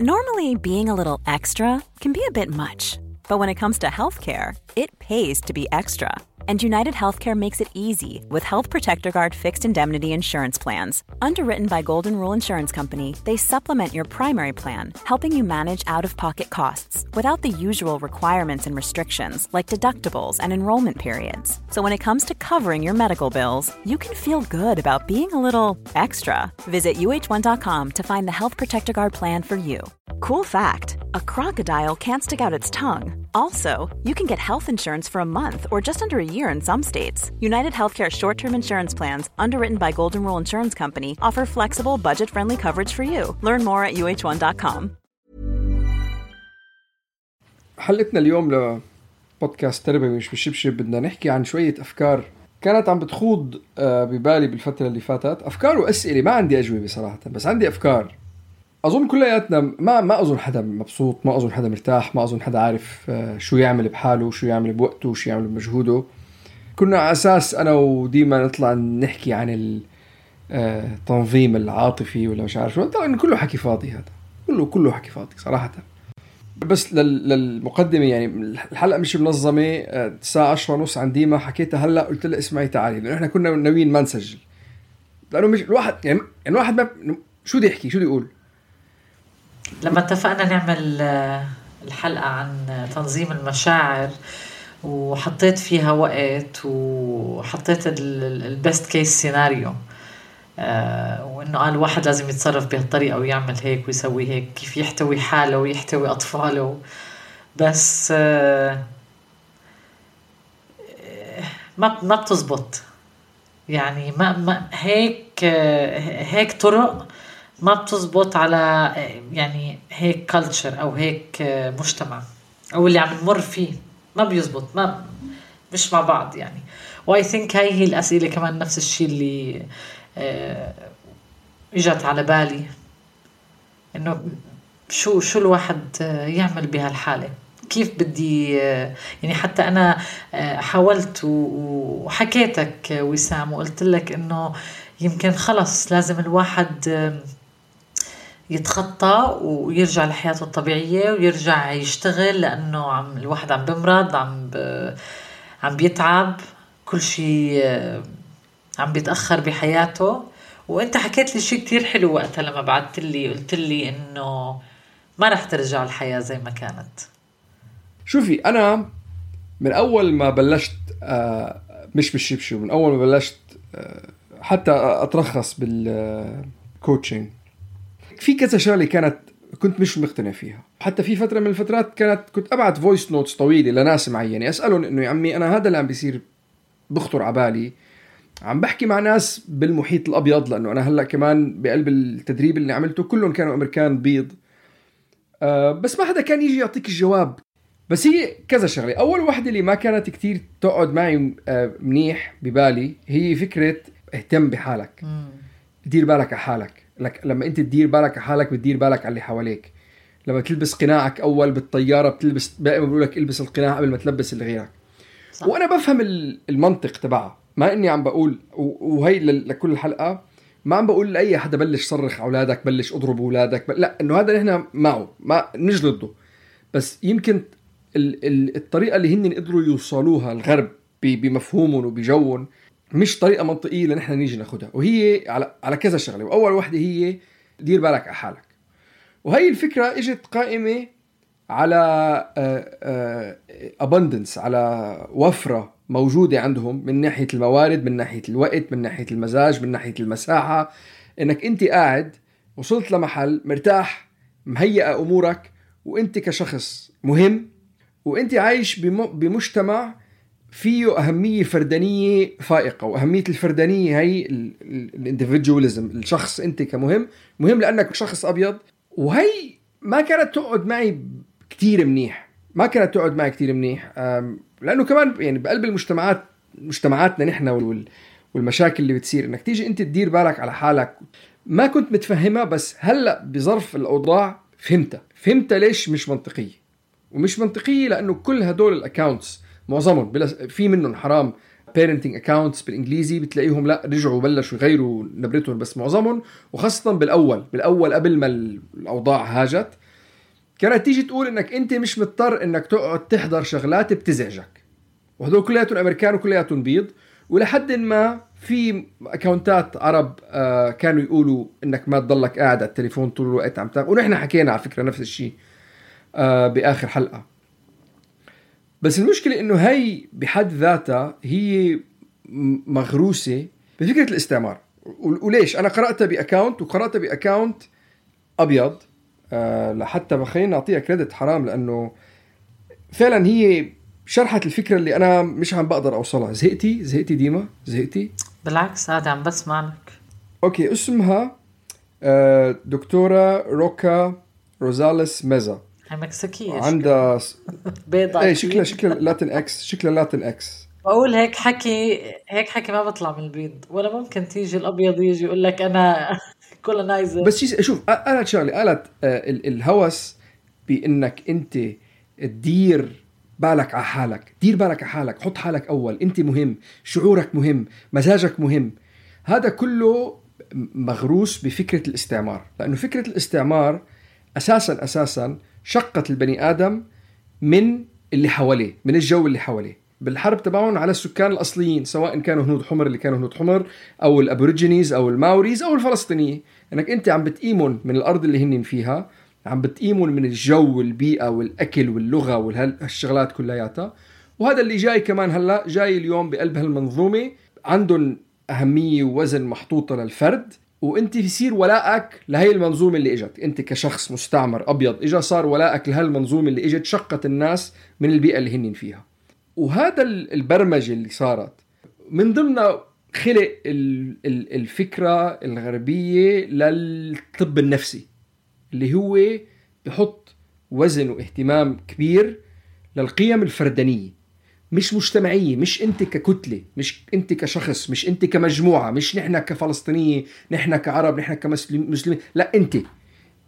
Normally, being a little extra can be a bit much, but when it comes to healthcare, it pays to be extra. And United Healthcare makes it easy with Health Protector Guard fixed indemnity insurance plans. Underwritten by Golden Rule Insurance Company, they supplement your primary plan, helping you manage out-of-pocket costs without the usual requirements and restrictions like deductibles and enrollment periods. So when it comes to covering your medical bills, you can feel good about being a little extra. Visit uh1.com to find the Health Protector Guard plan for you. Cool fact, a crocodile can't stick out its tongue. Also, you can get health insurance for a month or just under a year in some states. United Healthcare short-term insurance plans, underwritten by Golden Rule Insurance Company, offer flexible, budget-friendly coverage for you. Learn more at uh1.com. حلقتنا اليوم لبودكاست تربوي مش بالشبشب بدنا نحكي عن شوية أفكار كانت عم بتخوض ببالي بالفترة اللي فاتت. أفكار وأسئلة، ما عندي أجوبة صراحة، بس عندي أفكار. أظن كلياتنا ما أظن حدا مبسوط، ما أظن حدا مرتاح، ما أظن حدا عارف شو يعمل بحاله، شو يعمل بوقته، شو يعمل بمجهوده. كنا على أساس أنا وديما نطلع نحكي عن التنظيم العاطفي ولا مش عارف شو. طبعا كله حكي فاضي، هذا كله حكي فاضي صراحة. بس للمقدمة، يعني الحلقة مش منظمة. الساعة 10:30 عن ديما حكيتها هلأ، قلت لها اسمعي تعالي، لأنه إحنا كنا ناويين ما نسجل، لأنه مش الواحد يعني الواحد ما شو دي يحكي، شو دي يقول. لما اتفقنا نعمل الحلقة عن تنظيم المشاعر وحطيت فيها وقت وحطيت البست كيس سيناريو، وإنه قال الواحد لازم يتصرف بهالطريقة ويعمل هيك ويسوي هيك، كيف يحتوي حاله ويحتوي أطفاله. بس ما بتزبط، يعني ما هيك طرق ما بتزبط على يعني هيك كالتشر أو هيك مجتمع أو اللي عم نمر فيه، ما بيزبط، مش مع بعض يعني. واي ثينك هاي الأسئلة كمان نفس الشيء اللي اجت على بالي، إنه شو الواحد يعمل بهالحالة، كيف بدي يعني. حتى أنا حاولت وحكيتك وسام وقلت لك إنه يمكن خلص لازم الواحد يتخطى ويرجع لحياته الطبيعية ويرجع يشتغل، لأنه الواحد عم بمرض، عم بيتعب، كل شيء عم بيتأخر بحياته. وانت حكيت لي شيء كتير حلو وقتها لما بعدت لي، قلت لي إنه ما رح ترجع الحياة زي ما كانت. شوفي، أنا من أول ما بلشت مش بالشبشب، من أول ما بلشت حتى أترخص بالكوتشنج، في كذا شغلة كنت مش مقتنع فيها. حتى في فترة من الفترات كنت أبعت فويس نوتس طويلة لناس معينة أسألهم إنه يا عمي أنا هذا اللي عم بيصير بخطر عبالي، عم بحكي مع ناس بالمحيط الأبيض، لأنه أنا هلأ كمان بقلب التدريب اللي عملته كلهم كانوا أمريكان بيض، بس ما حدا كان يجي يعطيك الجواب. بس هي كذا شغلة. أول واحدة اللي ما كانت كتير تقعد معي منيح ببالي هي فكرة اهتم بحالك، دير بالك على حالك. لما أنت تدير بالك على حالك بتدير بالك على اللي حواليك. لما تلبس قناعك أول بالطيارة بتلبس، دائما بقولك البس القناع قبل ما تلبس اللي غيرك. صح. وأنا بفهم المنطق تبعها، ما إني عم بقول وهي لكل الحلقة ما عم بقول لأي حدا بلش صرخ أولادك، بلش أضرب أولادك، لا، إنه هذا نحن معه، ما مش ضده. بس يمكن الطريقة اللي هن قدروا يوصلوها الغرب بمفهومهم وبجوهم مش طريقة منطقية لنحن نيجي ناخدها. وهي على كذا شغلة. وأول واحدة هي دير بالك على حالك. وهي الفكرة اجت قائمة على abundance، على وفرة موجودة عندهم من ناحية الموارد، من ناحية الوقت، من ناحية المزاج، من ناحية المساحة. انك انت قاعد وصلت لمحل مرتاح، مهيئة امورك، وانت كشخص مهم، وانت عايش بمجتمع فيه أهمية فردانية فائقة. وأهمية الفردانية هي الانديفيدواليزم، الشخص انت كمهم، مهم لأنك شخص أبيض. وهي ما كانت تقعد معي كتير منيح، لأنه كمان يعني بقلب مجتمعاتنا نحن والمشاكل اللي بتصير، انك تيجي انت تدير بالك على حالك، ما كنت متفهمها. بس هلأ بظرف الأوضاع فهمتها ليش مش منطقية. ومش منطقية لأنه كل هدول الأكاونتس معظمهم في منهم حرام parenting accounts بالإنجليزي، بتلاقيهم لا رجعوا بلشوا يغيروا نبرتهم، بس معظمهم وخاصة بالأول قبل ما الأوضاع هاجت كانت تيجي تقول انك انت مش مضطر انك تقعد تحضر شغلات بتزعجك، وهدول كلياتهم امريكان وكلياتهم بيض. ولحد ما في اكاونتات عرب كانوا يقولوا انك ما تضلك قاعد على التليفون طول الوقت عم تاخذ، ونحن حكينا على فكرة نفس الشيء باخر حلقة. بس المشكلة انه هي بحد ذاتها هي مغروسة بفكرة الاستعمار. وليش؟ انا قرأتها باكاونت، وقرأتها باكاونت ابيض لحتى بخلينا نعطيها كريدت حرام، لانه فعلا هي شرحت الفكرة اللي انا مش عم بقدر اوصلها. زهقتي ديما؟ زهقتي؟ بالعكس هذا عم بسمع لك. اوكي، اسمها دكتورة روكا روزاليس ميزا. هي مكسيكية، عندها بيضة. ايه شكلها لاتين اكس. بقول هيك حكي ما بطلع من البيض، ولا ممكن تيجي الابيض يجي يقول لك انا كولونايزر. بس شوف، قالت شغله، قالت الهوس بانك انت تدير بالك على حالك، حط حالك اول، انت مهم، شعورك مهم، مزاجك مهم. هذا كله مغروس بفكرة الاستعمار، لانه فكرة الاستعمار اساسا شقت البني ادم من اللي حواليه، من الجو اللي حواليه. بالحرب تبعهم على السكان الأصليين، سواء كانوا هنود حمر اللي كانوا هنود حمر، أو الأبوريجينيز أو الماوريز أو الفلسطينيين، أنك أنت عم بتقيمون من الأرض اللي هنن فيها، عم بتقيمون من الجو والبيئة والأكل واللغة والشغلات كلياتها. وهذا اللي جاي كمان هلأ، جاي اليوم بقلب هالمنظومة عندهم أهمية ووزن محطوطة للفرد، وانت يصير ولاءك لهي المنظومة اللي اجت. انت كشخص مستعمر أبيض اجا صار ولاءك لهالمنظومة اللي اجت، شقت الناس من البيئة اللي هنن فيها. وهذا البرمجة اللي صارت من ضمنها خلق الفكرة الغربية للطب النفسي، اللي هو بحط وزن واهتمام كبير للقيم الفردانية، مش مجتمعية، مش انت ككتلة، مش انت كشخص، مش انت كمجموعة، مش نحن كفلسطينية، نحن كعرب، نحن كمسلمين. لا،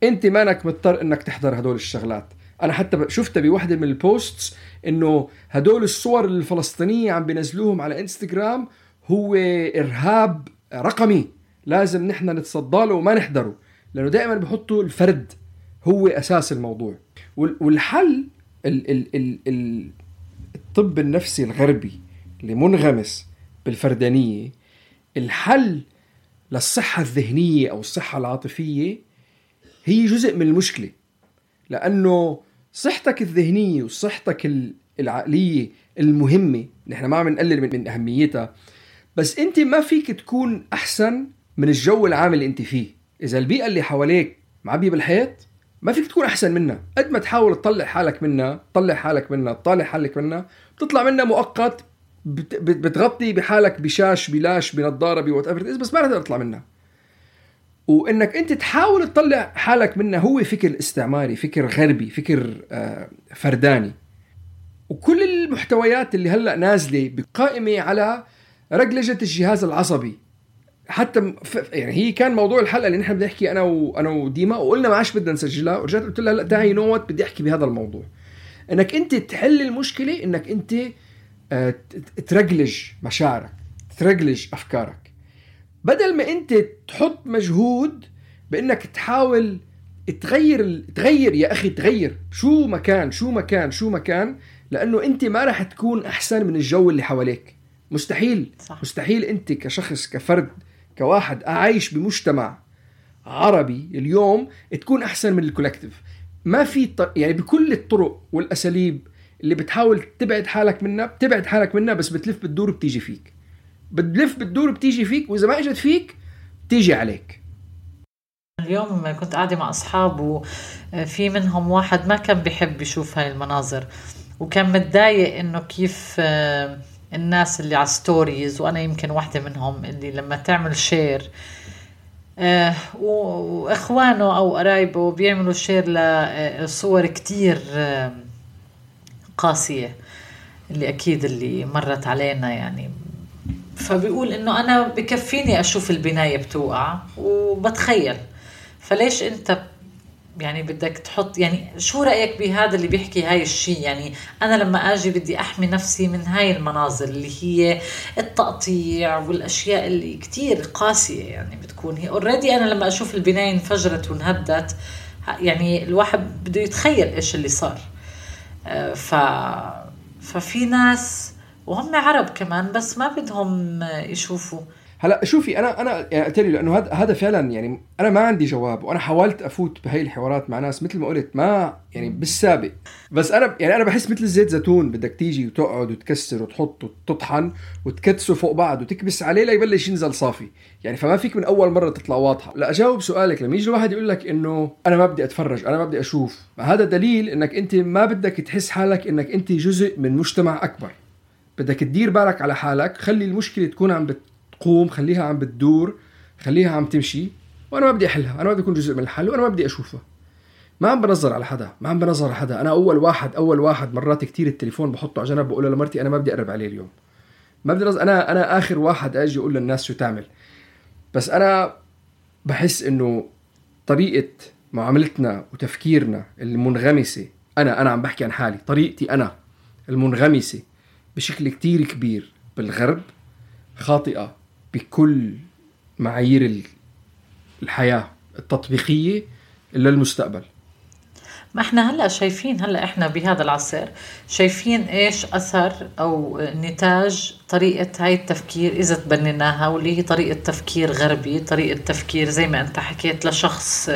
انت مانك مضطر انك تحضر هدول الشغلات. انا حتى شفتها بواحدة من البوستس انه هدول الصور الفلسطينية عم بينزلوهم على انستغرام هو ارهاب رقمي، لازم نحن نتصدى له وما نحضره، لانه دائما بحطوا الفرد هو اساس الموضوع. والحل الطب النفسي الغربي اللي منغمس بالفردانية، الحل للصحة الذهنية او الصحة العاطفية هي جزء من المشكلة. لأنه صحتك الذهنية وصحتك العقلية المهمة، نحن ما عم نقلل من أهميتها، بس أنت ما فيك تكون أحسن من الجو العام اللي أنت فيه. إذا البيئة اللي حواليك معبية بالحيط، ما فيك تكون أحسن منها. قد ما تحاول تطلع حالك منها، بتطلع منها مؤقت، بتغطي بحالك بشاش بلاش بنظارة بوات، بس ما رح تطلع منها. وإنك أنت تحاول تطلع حالك منه هو فكر استعماري، فكر غربي، فكر فرداني. وكل المحتويات اللي هلأ نازلة بقائمة على رجلجة الجهاز العصبي. حتى يعني هي كان موضوع الحلقة اللي نحن بدي نحكي أنا وديما، وقلنا ما عاش بدنا نسجلها، ورجعت قلت لها لا تعي نوت بدي أحكي بهذا الموضوع. إنك أنت تحل المشكلة، إنك أنت ترجلج مشاعرك، ترجلج أفكارك، بدل ما انت تحط مجهود بانك تحاول تغير يا اخي، تغير شو مكان، لانه انت ما راح تكون احسن من الجو اللي حواليك. مستحيل. صح. مستحيل انت كشخص، كفرد، كواحد عايش بمجتمع عربي اليوم تكون احسن من الكولكتيف. ما في يعني بكل الطرق والاساليب اللي بتحاول تبعد حالك منها، بس بتلف بتدور بتيجي فيك، وإذا ما إجت فيك تيجي عليك. اليوم كنت قاعدة مع أصحاب، وفي منهم واحد ما كان بيحب يشوف هاي المناظر، وكان متضايق إنه كيف الناس اللي على ستوريز، وأنا يمكن واحدة منهم، اللي لما تعمل شير وإخوانه أو قرايبه بيعملوا شير لصور كتير قاسية، اللي أكيد اللي مرت علينا يعني. فبيقول إنه أنا بكفيني أشوف البناية بتوقع وبتخيل، فليش أنت يعني بدك تحط؟ يعني شو رأيك بهذا اللي بيحكي هاي الشيء؟ يعني أنا لما أجي بدي أحمي نفسي من هاي المناظر اللي هي التقطيع والأشياء اللي كتير قاسية، يعني بتكون هي already. أنا لما أشوف البناية انفجرت وانهدت يعني الواحد بده يتخيل إيش اللي صار. ففي ناس وهم عرب كمان بس ما بدهم يشوفوا. هلا شوفي انا يعني قلت لي لانه هذا فعلا يعني انا ما عندي جواب، وانا حاولت افوت بهي الحوارات مع ناس مثل ما قلت ما يعني بالسابق، بس انا بحس مثل الزيت زيتون، بدك تيجي وتقعد وتكسر وتحط وتطحن وتكدسه فوق بعض وتكبس عليه ليبلش ينزل صافي يعني، فما فيك من اول مره تطلع واضحه. لا اجاوب سؤالك، لما يجي الواحد يقول لك انه انا ما بدي اتفرج، انا ما بدي اشوف، هذا دليل انك انت ما بدك تحس حالك انك انت جزء من مجتمع اكبر. بدك تدير بالك على حالك، خلي المشكله تكون عم قوم، خليها عم بتدور، خليها عم تمشي، وانا ما بدي احلها، انا ما بدي اكون جزء من الحل، وانا ما بدي اشوفها. ما عم بنظر على حدا، انا اول واحد مرات كتير التليفون بحطه على جنب، بقول لمرتي انا ما بدي اقرب عليه اليوم، ما بدي انا اخر واحد اجي اقول للناس شو تعمل. بس انا بحس انه طريقه معاملتنا وتفكيرنا المنغمسه، انا عم بحكي عن حالي، طريقتي انا المنغمسه بشكل كتير كبير بالغرب خاطئه بكل معايير الحياة التطبيقية إلا المستقبل. ما احنا هلأ شايفين، هلأ احنا بهذا العصر شايفين ايش أثر أو نتاج طريقة هاي التفكير إذا تبنيناها، واللي هي طريقة تفكير غربي، طريقة تفكير زي ما انت حكيت لشخص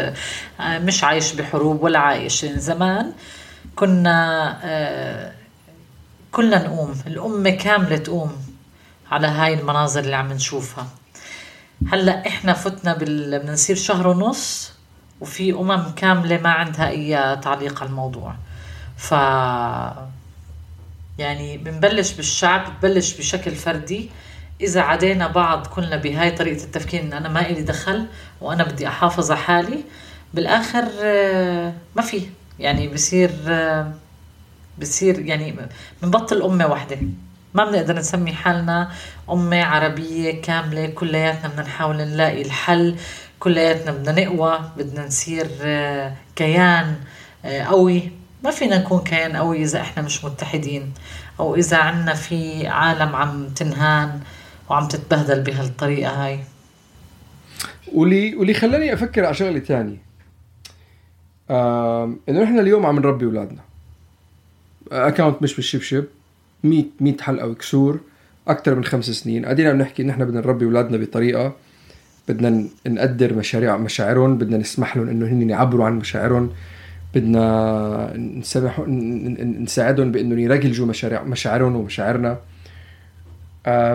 مش عايش بحروب ولا عايش. زمان كنا كلنا نقوم، الأمة كاملة تقوم على هاي المناظر اللي عم نشوفها. هلأ إحنا فتنا بنصير شهر ونص وفي كاملة ما عندها أي تعليق على الموضوع. يعني بنبلش بالشعب، بنبلش بشكل فردي. إذا عدينا بعض كلنا بهاي طريقة التفكير إن أنا ما إلي دخل وأنا بدي أحافظ على حالي، بالآخر ما في يعني بصير يعني بنبطل أمة واحدة، ما بنقدر نسمي حالنا أمة عربية كاملة. كلياتنا بدنا نحاول نلاقي الحل، كلياتنا بدنا نقوى، بدنا نصير كيان قوي. ما فينا نكون كيان قوي إذا إحنا مش متحدين، أو إذا عنا في عالم عم تنهان وعم تتبهدل بهالطريقة هاي. واللي خلاني أفكر على شغلة تانية، إنه إحنا اليوم عم نربي أولادنا. أكاونت مش بالشبشب 100 حلقة وكسور أكتر من 5 سنين قاعدين عم نحكي إن إحنا بدنا نربي أولادنا بطريقة، بدنا نقدر مشاعرهم، بدنا نسمح لهم إنه هن يعبروا عن مشاعرهم، بدنا نساعدهم بإنه يرجلجوا مشاعرهم ومشاعرنا.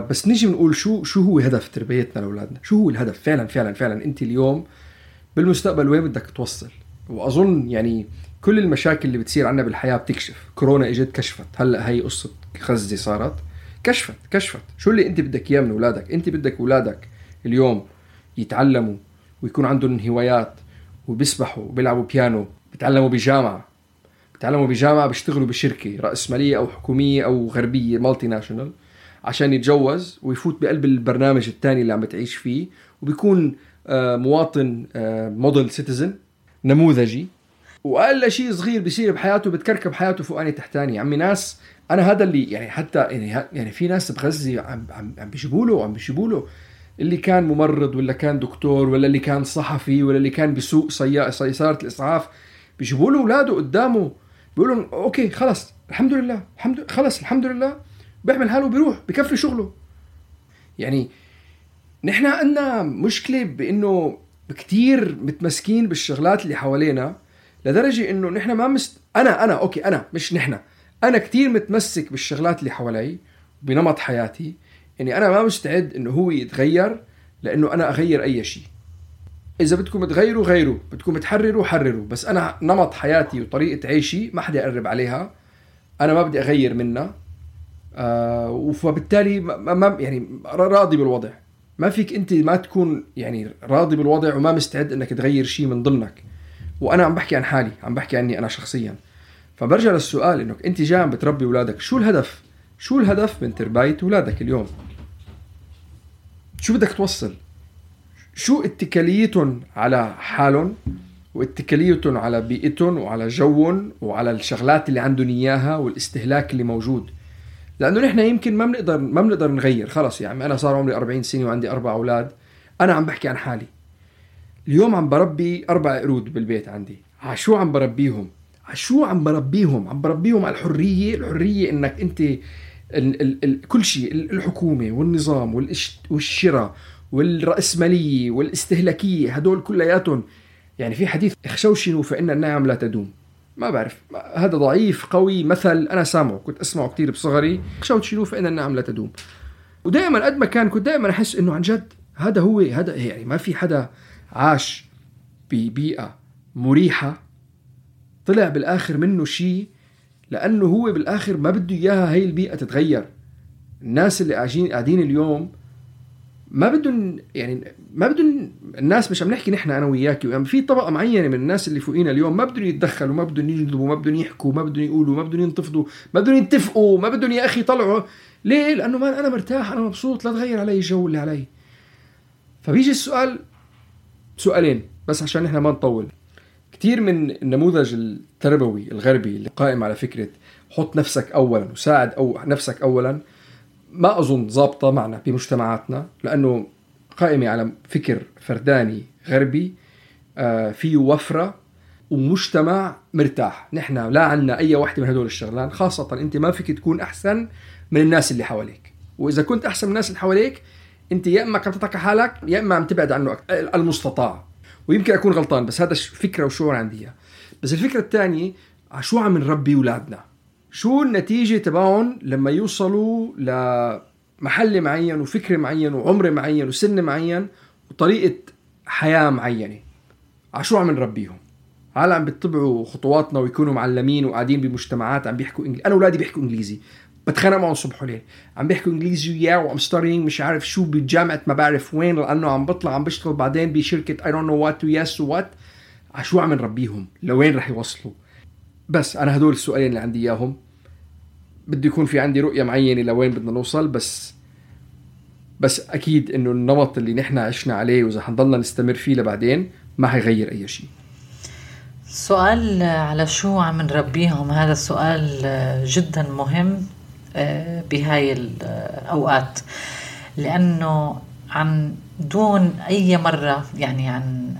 بس نيجي بنقول شو هو هدف تربيتنا لأولادنا؟ شو هو الهدف فعلا أنت اليوم بالمستقبل وين بدك توصل؟ وأظن يعني كل المشاكل اللي بتصير عنا بالحياة بتكشف. كورونا اجت كشفت، هلأ هي قصة غزة صارت كشفت شو اللي انت بدك اياه من اولادك. انت بدك اولادك اليوم يتعلموا ويكون عندهم هوايات وبيسبحوا وبيلعبوا بيانو، بيتعلموا بجامعة، بيشتغلوا بشركة رأسمالية او حكومية او غربية مالتي ناشونال عشان يتجوز ويفوت بقلب البرنامج الثاني اللي عم بتعيش فيه، وبيكون مواطن موديل سيتيزن نموذجي، وأقل شيء صغير بيصير بحياته بتكركب حياته فوقاني تحتاني. عمي ناس أنا هذا اللي يعني حتى يعني في ناس بغزة عم بيجيبوا له اللي كان ممرض ولا كان دكتور ولا اللي كان صحفي ولا اللي كان بيسوق سيارة الإسعاف، بيجيبوا له أولاده قدامه بيقولوا لهم أوكي خلاص الحمد لله بيعمل حاله وبيروح بكفي شغله. يعني نحن عندنا مشكلة بإنه كتير متمسكين بالشغلات اللي حوالينا لدرجة إنه نحن ما أنا كتير متمسك بالشغلات اللي حوالي بنمط حياتي، إني أنا ما مستعد إنه هو يتغير لأنه أنا أغير أي شيء. إذا بدكم تغيروا غيروا، بدكم تحرروا حرروا، بس أنا نمط حياتي وطريقة عيشي ما حدا يقرب عليها، أنا ما بدي أغير منها. وفبالتالي ما يعني راضي بالوضع. ما فيك أنت ما تكون يعني راضي بالوضع وما مستعد إنك تغير شيء من ضمنك. وأنا عم بحكي عن حالي، عم بحكي عني أنا شخصيا. فبرجع للسؤال إنك أنت جاي عم بتربي أولادك، شو الهدف من تربية أولادك اليوم؟ شو بدك توصل؟ شو اتكاليتهم على حالهم واتكاليتهم على بيئتهم وعلى جوهم وعلى الشغلات اللي عندهم إياها والاستهلاك اللي موجود؟ لأنه نحن يمكن ما بنقدر نغير. خلاص يعني أنا صار عمري 40 سنة وعندي 4 أولاد. أنا عم بحكي عن حالي اليوم، عم بربي 4 قرود بالبيت عندي. عشو عم بربيهم؟ عم بربيهم على الحرية إنك أنت كل شيء، الحكومة والنظام والشراء والرأسمالية والاستهلاكية، هدول كلياتهم. يعني في حديث اخشوشنوا فإن النعم لا تدوم. ما بعرف هذا ضعيف قوي، مثل أنا سامعه، كنت أسمعه كتير بصغري، اخشوشنوا فإن النعم لا تدوم. ودائما قد ما كنت دائما أحس إنه عن جد هذا يعني ما في حدا عاش ببيئة مريحة طلع بالآخر منه شيء، لأنه هو بالآخر ما بده إياها هاي البيئة تتغير. الناس اللي قاعدين اليوم ما بدهم الناس، مش عم نحكي نحن أنا وياك، يعني في طبقة معينة من الناس اللي فوقينا اليوم ما بدهم يتدخلوا، ما بدهم يجذبوا، ما بدهم يحكوا، ما بدهم يقولوا، ما بدهم ينتفضوا، ما بدهم يتفقوا، ما بدهم يا أخي طلعوا. ليه؟ لأنه ما أنا مرتاح، أنا مبسوط، لا تغير علي الجو اللي علي. فبيجي السؤال، سؤالين بس عشان نحن ما نطول. كتير من النموذج التربوي الغربي اللي قائم على فكرة حط نفسك أولا وساعد نفسك أولا، ما أظن ضابطة معنا بمجتمعاتنا، لأنه قائمة على فكر فرداني غربي فيه وفرة ومجتمع مرتاح. نحن لا عنا أي واحدة من هدول الشغلان، خاصة أنت ما فيك تكون أحسن من الناس اللي حواليك، وإذا كنت أحسن من الناس اللي حواليك أنت يا إما عم تترك حالك يا إما عم تبعد عنه المستطاع. ويمكن أكون غلطان، بس هذا فكرة وشعور عندي. بس الفكرة الثانية، عشو عم نربي أولادنا؟ شو النتيجة تبعهم لما يوصلوا لمحل معين وفكر معين وعمر معين وسن معين وطريقة حياة معينة؟ عشو عم نربيهم؟ هل عم بيتبعوا خطواتنا ويكونوا معلمين وقاعدين بمجتمعات عم بيحكوا إنجليزي؟ أنا أولادي بيحكوا إنجليزي، بتخانق معهم صبح وليل، عم بيحكوا إنجليزي وياه، وعم ستارينج مش عارف شو بجامعة ما بعرف وين، لأنه عم بطلع عم بشتغل بعدين بشركة I don't know what وياس وات. عشو عم نربيهم؟ لوين رح يوصلوا؟ بس أنا هدول السؤالين اللي عندي إياهم. بدي يكون في عندي رؤية معينة لوين بدنا نوصل، بس أكيد إنه النمط اللي نحن عشنا عليه وإذا حنضلنا نستمر فيه لبعدين ما هيغير أي شيء. سؤال على شو عم نربيهم، هذا سؤال جدا مهم بهاي الأوقات، لأنه عن دون أي مرة، يعني عن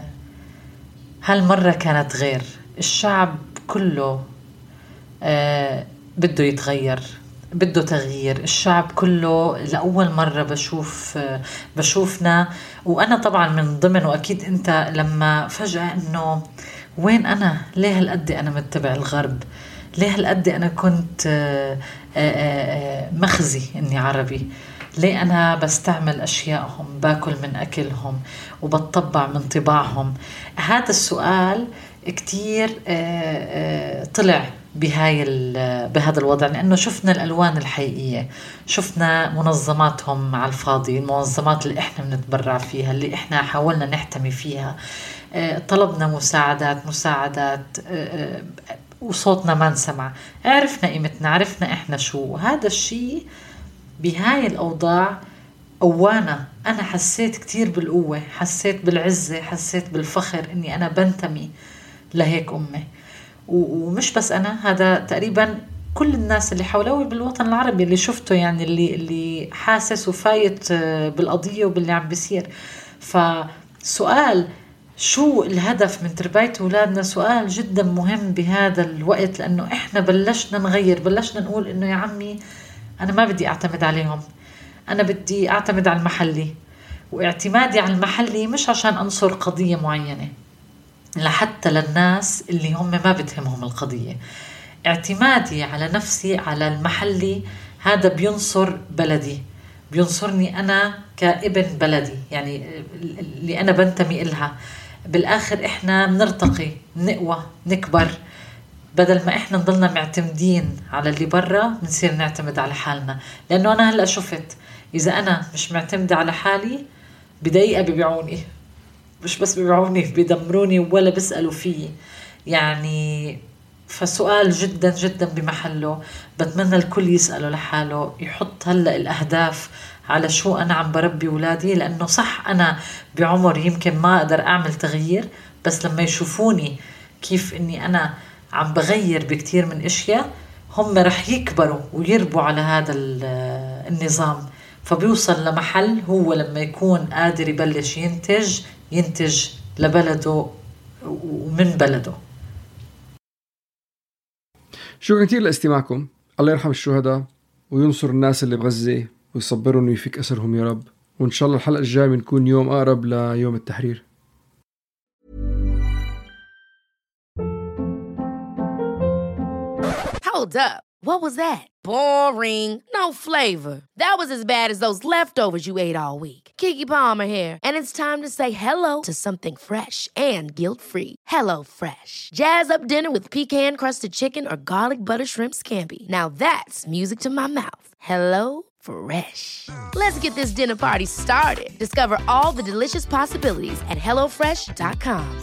هالمرة كانت غير. الشعب كله بده يتغير، بده تغيير. الشعب كله لأول مرة بشوفنا، وأنا طبعا من ضمن، وأكيد أنت، لما فجأة إنه وين أنا؟ ليه هالقد أنا متبع الغرب؟ ليه هالقد أنا كنت مخزي إني عربي؟ ليه أنا بستعمل أشياءهم، باكل من أكلهم وبتطبع من طباعهم؟ هذا السؤال كتير طلع بهذا الوضع، لأنه شفنا الألوان الحقيقية، شفنا منظماتهم على الفاضي، المنظمات اللي إحنا بنتبرع فيها، اللي إحنا حاولنا نحتمي فيها، طلبنا مساعدات وصوتنا ما نسمع. عرفنا قيمتنا، عرفنا إحنا شو. هذا الشيء بهاي الأوضاع أوانا أنا حسيت كتير بالقوة، حسيت بالعزة، حسيت بالفخر إني أنا بنتمي لهيك أمي. ومش بس أنا، هذا تقريبا كل الناس اللي حوله بالوطن العربي اللي شفته، يعني اللي حاسس وفايت بالقضية وباللي عم بيصير. فسؤال شو الهدف من تربية أولادنا سؤال جدا مهم بهذا الوقت، لأنه إحنا بلشنا نغير، بلشنا نقول إنه يا عمي أنا ما بدي أعتمد عليهم، أنا بدي أعتمد على المحلي. واعتمادي على المحلي مش عشان أنصر قضية معينة، لحتى للناس اللي هم ما بتهمهم القضية. اعتمادي على نفسي على المحلي هذا بينصر بلدي، بينصرني أنا كابن بلدي، يعني اللي أنا بنتمي إلها. بالآخر إحنا بنرتقي، نقوى، نكبر. بدل ما إحنا نضلنا معتمدين على اللي برا، بنصير نعتمد على حالنا. لأنه أنا هلأ شفت إذا أنا مش معتمدة على حالي بدقيقة بيبيعوني، مش بس بيبيعوني، بيدمروني ولا بيسألوا فيه. يعني فسؤال جدا جدا بمحله. بتمنى الكل يسأله لحاله، يحط هلأ الأهداف على شو أنا عم بربي ولادي. لأنه صح أنا بعمر يمكن ما أقدر أعمل تغيير، بس لما يشوفوني كيف إني أنا عم بغير بكتير من أشياء، هم رح يكبروا ويربوا على هذا النظام. فبيوصل لمحل هو لما يكون قادر يبلش ينتج لبلده ومن بلده. شكرا كتير لاستماعكم. الله يرحم الشهداء وينصر الناس اللي بغزة ويصبرهم ويفك أسرهم يا رب. وإن شاء الله الحلقة الجاية بنكون يوم أقرب ليوم التحرير. Hold up. What was that? Boring. No flavor. That was as bad as those leftovers you ate all week. Keke Palmer here, and it's time to say hello to something fresh and guilt-free. Hello Fresh. Jazz up dinner with pecan-crusted chicken or garlic butter shrimp scampi. Now that's music to my mouth. Hello Fresh. Let's get this dinner party started. Discover all the delicious possibilities at HelloFresh.com.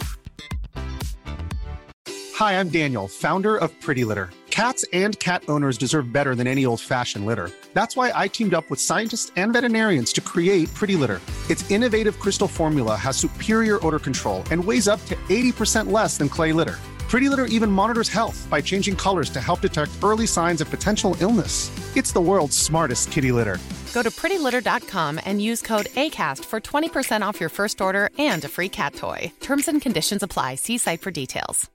Hi, I'm Daniel, founder of Pretty Litter. Cats and cat owners deserve better than any old-fashioned litter. That's why I teamed up with scientists and veterinarians to create Pretty Litter. Its innovative crystal formula has superior odor control and weighs up to 80% less than clay litter. Pretty Litter even monitors health by changing colors to help detect early signs of potential illness. It's the world's smartest kitty litter. Go to prettylitter.com and use code ACAST for 20% off your first order and a free cat toy. Terms and conditions apply. See site for details.